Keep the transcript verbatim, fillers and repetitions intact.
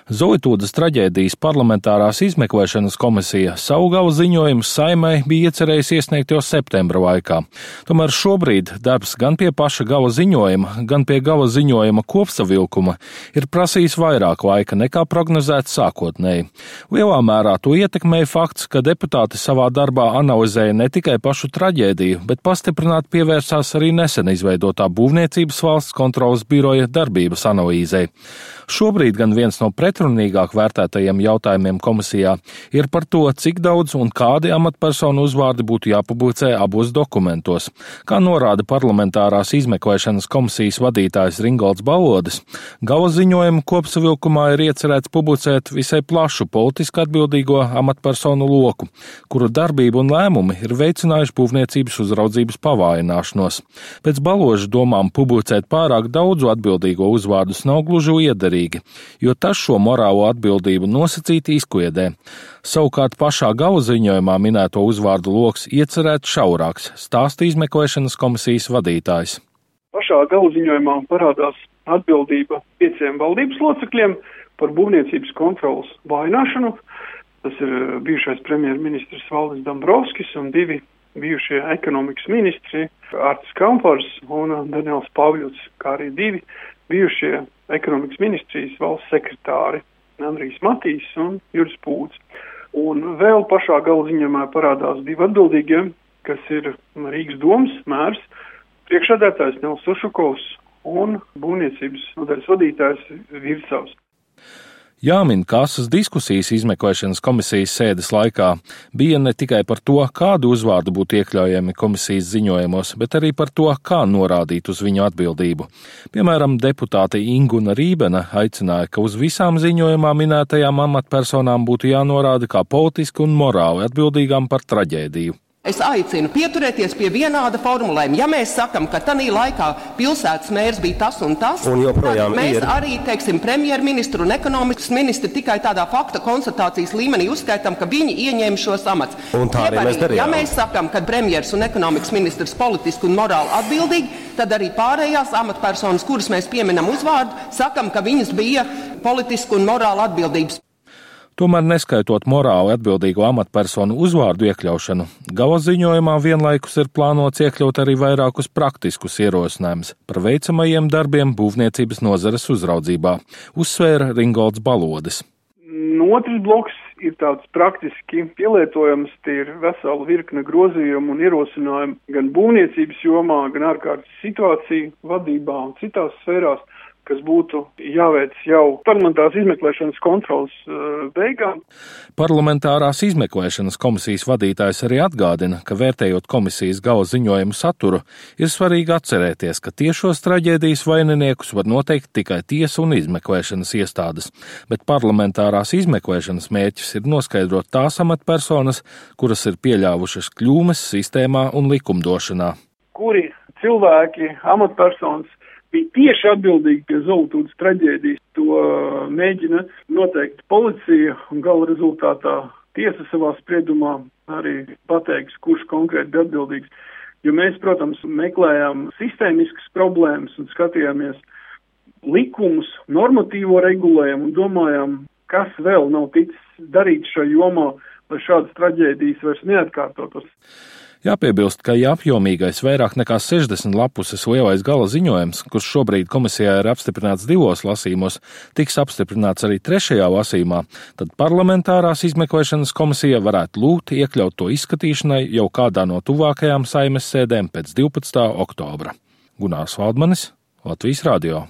Zolitūdas traģēdijas parlamentārās izmeklēšanas komisija savu gala ziņojumu Saeimai bija iecerējusi iesniegt jau septembra laikā. Tomēr šobrīd darbs gan pie paša gala ziņojuma, gan pie gala ziņojuma kopsavilkuma ir prasījis vairāk laika nekā prognozēts sākotnēji. Lielā mērā to ietekmēja fakts, ka deputāti savā darbā analizēja ne tikai pašu traģēdiju, bet pastiprināti pievērsās arī nesen izveidotā Būvniecības valsts kontroles biroja darbības analīzei. Šobrīd gan viens no pretrunīgāk vērtētajiem jautājumiem komisijā ir par to, cik daudz un kādi amatpersonu uzvārdi būtu jāpublicē abos dokumentos. Kā norāda parlamentārās izmeklēšanas komisijas vadītājs Ringolds Balodis, gala ziņojumu kopsavilkumā ir iecerēts publicēt visai plašu politiski atbildīgo amatpersonu loku, kuru darbība un lēmumi ir veicinājuši būvniecības uzraudzības pavājināšanos. Pēc Baloža domām publicēt pārāk daudzu atbildīgo uzvārdus nav gluži liederīgi, jo tas šo morālo atbildību nosacīti izkliedē. Savukārt pašā gala ziņojumā minēto uzvārdu loks iecerēts šaurāks, stāsta izmeklēšanas komisijas vadītājs. Pašā gala ziņojumā parādās atbildība pieciem valdības locekļiem par būvniecības kontrolas vājināšanu. Tas ir bijušais premjerministrs Valdis Dombrovskis un divi bijušie ekonomikas ministri Artis Kampars un Daniels Pavļuts, kā arī divi bijušie ekonomikas ministrijas valsts sekretāri Andrijs Matīs un Juris Pūds. Un vēl pašā gala ziņojumā parādās divi atbildīgie, kas ir Rīgas domas mērs, priekšsēdētājs Nels Ušakovs un būvniecības nodaļas vadītājs Virsavs. Jāmin, ka asas diskusijas izmeklēšanas komisijas sēdes laikā bija ne tikai par to, kādu uzvārdu būtu iekļaujami komisijas ziņojumos, bet arī par to, kā norādīt uz viņu atbildību. Piemēram, deputāte Inguna Rībena aicināja, ka uz visām ziņojumā minētajām amatpersonām būtu jānorāda kā politiski un morāli atbildīgām par traģēdiju. Es aicinu pieturēties pie vienāda formulējuma. Ja mēs sakam, ka tanī laikā pilsētas mērs bija tas un tas, un tad mēs ir. arī, teiksim, premjerministru un ekonomikas ministru tikai tādā fakta konstatācijas līmenī uzskaitam, ka viņi ieņēma šos amats. Un tā arī mēs darījām. Ja mēs sakam, ka premjers un ekonomikas ministrs politiski un morāli atbildīgi, tad arī pārējās amatpersonas, kuras mēs pieminam uzvārdu, sakam, ka viņas bija politiski un morāli atbildības. Tomēr neskaitot morāli atbildīgo amatpersonu uzvārdu iekļaušanu, gala ziņojumā vienlaikus ir plānots iekļaut arī vairākus praktiskus ierosinājumus par veicamajiem darbiem būvniecības nozares uzraudzībā, uzsvēra Ringolds Balodis. Otrs bloks ir tāds praktiski pielietojams, tie ir vesela virkne grozījumu un ierosinājumu gan būvniecības jomā, gan ārkārtas situāciju vadībā un citās sfērās, kas būtu jāveic jau parlamentārās izmeklēšanas kontrolas uh, beigām. Parlamentārās izmeklēšanas komisijas vadītājs arī atgādina, ka vērtējot komisijas gala ziņojumu saturu, ir svarīgi atcerēties, ka tiešos traģēdijas vaininiekus var noteikt tikai tiesa un izmeklēšanas iestādes, bet parlamentārās izmeklēšanas mērķis ir noskaidrot tās amatpersonas, kuras ir pieļāvušas kļūmes sistēmā un likumdošanā. Kuri cilvēki, amatpersonas bija tieši atbildīgi pie Zolitūdas traģēdijas, to mēģina noteikt policija un gala rezultātā tiesa savā spriedumā arī pateiks, kurš konkrēti bija atbildīgs. Jo mēs, protams, meklējām sistēmiskas problēmas un skatījāmies likumus, normatīvo regulējumu un domājām, kas vēl nav ticis darīts šajā jomā, lai šādas traģēdijas vairs neatkārtotos. Jāpiebilst, ka ja apjomīgais vairāk nekā sešdesmit lapuses lielais gala ziņojums, kurš šobrīd komisijā ir apstiprināts divos lasījumos, tiks apstiprināts arī trešajā lasījumā, tad parlamentārās izmeklēšanas komisija varētu lūgt iekļaut to izskatīšanai jau kādā no tuvākajām Saeimas sēdēm pēc divpadsmitā oktobra. Gunārs Valdmanis, Latvijas radio.